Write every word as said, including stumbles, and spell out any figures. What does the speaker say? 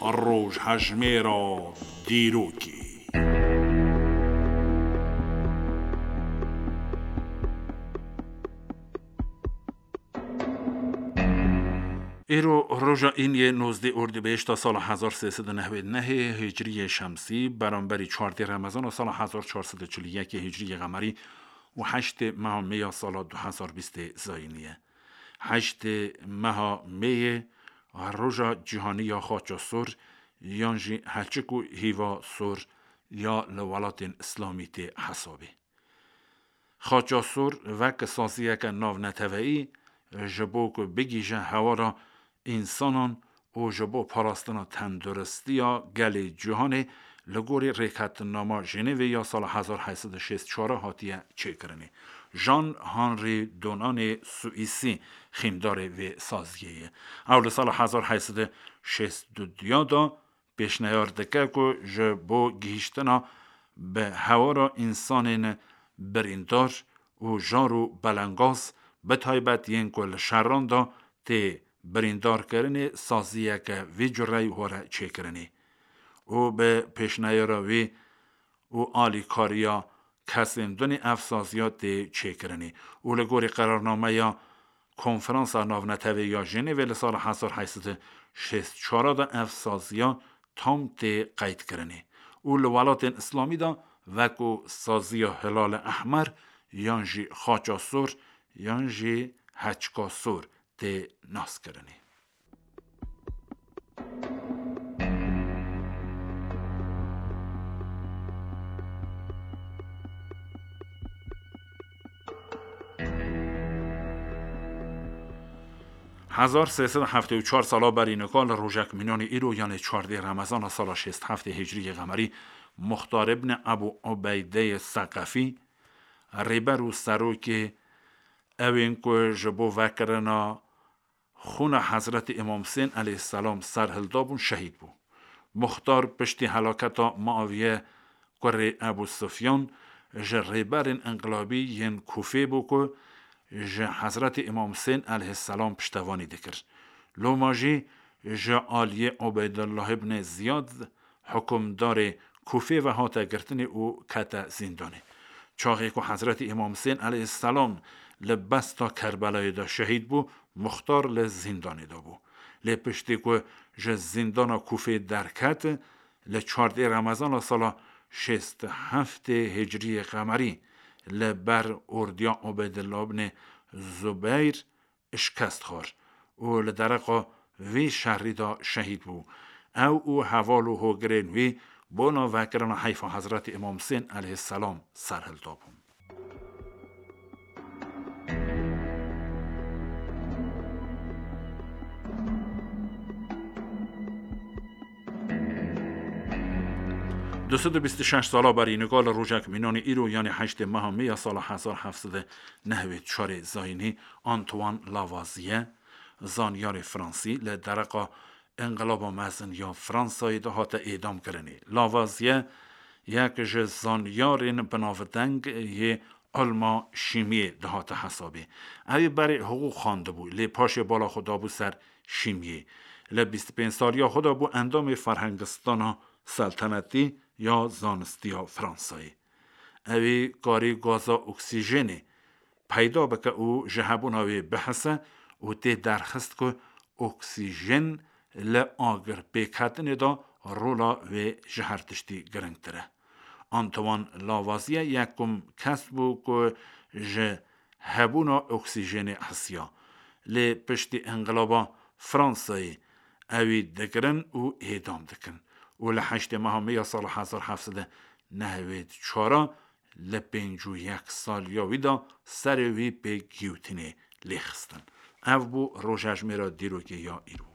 Rojhejmêra dîrokê. Îro roja îniyê nozdeh Ordîbehişta sala hezar sê sed û nehwed nehê Hicriyê Şemsî, beramberî çardeh Remezana sala hezar çar sed û çil û yekê Hicriyê Qemerî û heştê meha Mê ya sala du hezar bîstê Zayînî ye. Heştê meha Mêyê roja cîhanî ya xaça sor yan jî heçik û hîva sor ya li welatên Îslamî tê hesabê. Xaça sor wek saziyeke navneteweyî ji bo ku bigihîje hewara însanan û ji bo parastina tenduristiya gelê cîhanê li gorî Rêketnama Jenevê ya sala hezar heyt sed û şêst çar hatiye çêkirinê. Jean Henri Dunantê Swîsî xîmdarê vê saziyê ye. Ew li sala hezar heyt sed û şêst û du de pêşniyar dike ku ji bo gihîştina bi hewara însanên birîndar û jar û belengaz, bi taybet yên ku li şeran de tê birîndarkirinê, saziyeke vî cureyî were çêkirinê û bi pêşniyara wî û alîkariya kesên din ev saziya tê çêkirinê û li gorî qerarnameya Konferansa Navneteweyî ya Jenevê li sala hezar heyt sed û şêst çar de ev saziya tam tê qeydkirinê û li welatên Îslamî de wekû saziya Hilal Ehmer yan jî Xaça Sor yan jî Heçka Sor tê naskirinê. Hezar sê sed û heftê û çar sala berî nika li rojek mînanê îro, yanê çardeh Remezana sala şêst heftê Hicriyê Qemerî, Muxtar ibn Ebû Ubeydeyê Seqefî, rêber û serokê ewên ku ji bo vekirina xûna Hezretî Îmam Husên aleyhisselam serhildabûn, şehîd bû. Muxtar piştî helaketa Muaviye kurê Ebû Sufyan ji rêberên înqilabî yên Kûfê bû ku ji Hezretî Îmam Husên aleyhisselam piştevanî dikir. Loma jî ji aliyê Ubeydullah ibn Ziyad, hukimdarê Kûfê ve hate girtinê û kete zîndanê. Çaxê ku Hezretî Îmam Husên aleyhisselam li besta Kerbelayê de şehîd bû, Muxtar li zîndanê de bû. Lê piştî ku ji zîndana Kûfê derket, li çardeh Remezana sala şêst heftê Hicriyê Qemerî li ber ordiya Ubeydullah ibn Zubeyr şikest xwar û li dereqa vî şerî de şehîd bû. Ew û heval û hogirên wî bona vekirina heyfa Hezretî Îmam Husên aleyhisselam serhilda bûn. Du sed û bîst û şeş sala berî nika li rojek mînanê îro, yanê heştê meha Mê ya sala hezar heft sed û nehwêd çarê Zayînî, Antoine Lavoisier, zanyarê Fransî, li dereqa Înqilaba Mezin ya Fransayê de hate êdamkirinê. Lavoisier yek ji zanyarên binavdeng yê ilma şîmiyê dihate hesabê. Ew ê berê hiqûq xwendibû, lê paşê bala xwe dabû ser şîmiyê. Li bîst û pênc saliya xwe de bû endamê Ferhengistana Seltenetî ya Zanistiya Fransayê. Ew ê karî gaza oksîjenê peyda bike û ji hebûna wê bihise û tê derxist ku oksîjen li agir pêketinê de rola wê ji her tiştî giringtir e. Antoine Lavoisier yekum kes bû ku ji hebûna oksîjenê hisiya. Lê piştî înqilaba Fransayê ewî digirin û êdam dikin. Û li heştê meha Mê ya sala hezar heft sed û nehwêd çar li pêncî û yek saliya wî de serê wî pê giyotînê lê xistin. Ev bû rojhejmêra dîrokê ya îro.